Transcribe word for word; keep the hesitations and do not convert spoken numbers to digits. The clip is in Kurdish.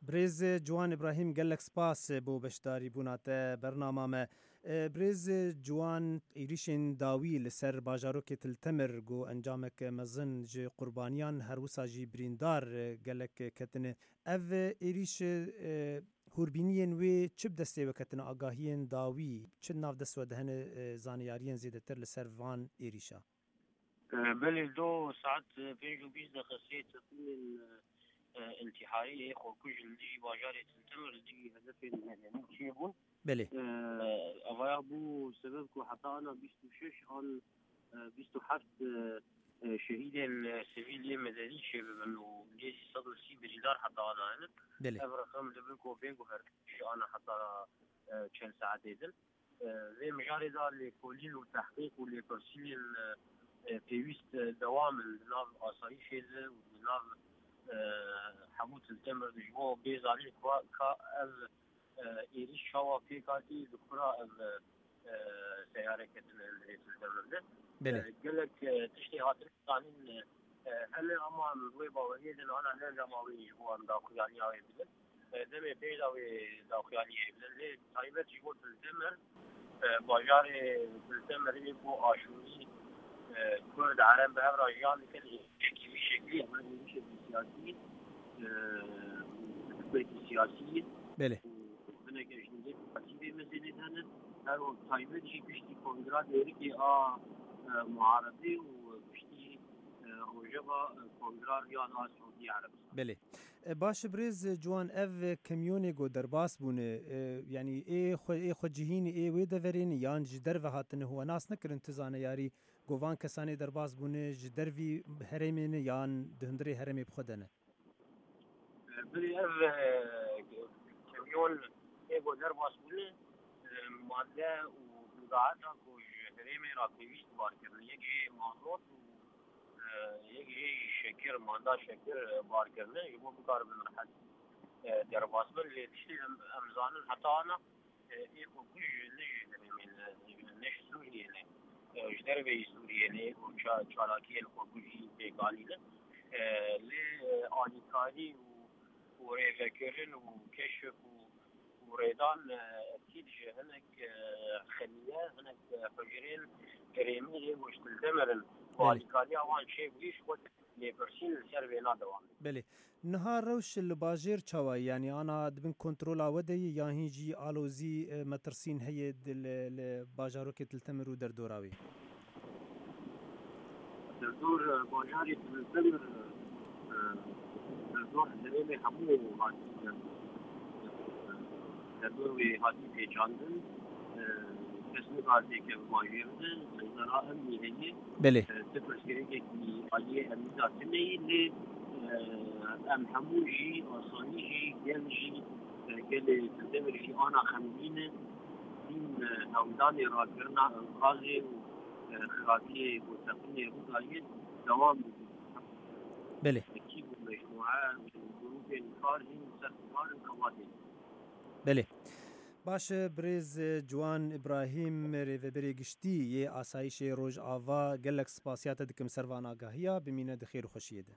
Birêz Ciwan Îbrahîm, gelek spas bo beşdarîbûna te bernama me. E, Birêz Ciwan, êrîşên dawî li ser bajarokê Til Temir ku encamek mezin ji qurbaniyan her wisa jî birîndar, e, gelek ketine. Ev êrîş, e, hûrbîniyên wê çi bi destê we ketine, agahiyên dawî, çi nav dest we de hene, e, zaniyariyên zêdetir li ser van êrîşa? E, belê, do saet, e, pênc û bîst deqe sê teqîmên, e, e, întiharî ê xwekuj li dijî bajarê Til Temir, li dijî hedefên medenî çêbûn. Belê. E, Evaya bû sebeb ku heta ana bîst û şeş an, e, bîst û heft, e, e, şehîdên, e, sivîl yê medenî çêbibin û nêzî sed û sî birîndar heta ana hene. Belê. Ev reqem dibin ku bê guhertin ji ana heta, e, çend saetê din. E, vê mijarê de lêkolîn û tehqîq û lêpirsînên, e, e, pêwîst, e, dewam in di nav asayîşê de û di nav, e, hemû Til Temir de, ji bo bê zanîn ka, ka ev, e, êrîş çawa pêk hatî, di kura ev, e, e, seyare ketine li Til Temir de. Belê. E, gelek, e, tiştê hatine zanîn, e, e, hene, ama em wê baweriyê din ana ne dema wê ji bo em daxuyaniya wê bidin. E, demê pêş de wê daxuyaniyê bidin. Lê taybet ji bo Til Temir, e, bajarê Til Temirê ku Aşûrî, e, Kurd, Ereb bi hev re jiyan dikin, êrişekî vî şeklî, ev êrişekî siyasî, e, hikûmetî siyasî. Belê. Û hineke ji nizê siyasî vê meselê de ne. Her wek taybet jî piştî kongra Dêrikê a, e, muharebê û piştî, e, rojeva, e, kongra Riyad a Siûdî Erebistan. Belê. E, baş e, birêz Ciwan, ev kemyonê ku derbas bûne, e, yanî ê xwe, ê xwe cihînê ê wê deverê ne yan ji derve hatine, we nas nekirin, tu zaneyarî ku van kesanê derbas bûne ji dervî herêmê ne yan di hundirê herêmê bi xwe de ne? E, Birê ev, e, kemyon ê ku derbas bûne, e, madde û bidaheta ku ji herêmê re pêwîst bar kirine. Yek jê mazot û e, yek jê jî şekir, manda şekir, e, bar kirine, ji bo bikaribin rehet, e, derbas bin. Lê tiştê em, em zanin heta ana, e, ê xwekuj ne ji herêmê ne, ne ji Sûriyê ne, e, ji derveyî Sûriyê ne, û ça-, çalakiyên xwekujî pêk anîne. E, lê, e, alîkarî û, û rêvekirin û keşif û û rêdan, e, ekîd ji hinek, e, xeniye, hinek, e, hicrên herêmî yê ku ji Til Temir in, Belê. Alîkariya wan çêbûyî ji xwe lêpirsîn li ser vêna dewam dikin. Belê. Niha rewş li bajêr çawa ye? Yanî ana di bin kontrola we de ye yan hîn jî alozî, e, metirsîn heye di, li, li bajarokê Til Temir û derdora wê? Derdor, e, bajarê Til Temir, e, derdor herêmê hemû hatî, e, derdor wê hatî pêçandin. E, kes nikare têkeve bajêr de, zera emnî heye. Belê. E, ti pirsgirêkekî aliyê emnî de tune ye, lê, e, em hemû jî, asayî jî, gel jî, e, gelê Til Temir jî ana xemgîn e. Hîn, e, hewldanê rakirina enqazê û, e, xirabiyê ku teqînê rû dayê dewam dike. Belê. Ekîb û mecmûe û grûpên kar hîn li ser kar in, xebatê. Belê. Baş e, birêz, e, Ciwan Îbrahîm, rêveberê giştî yê Asayîşê Rojava, gelek spasiya te dikim ser van agahiya, bimîne di xêr û xweşiyê de.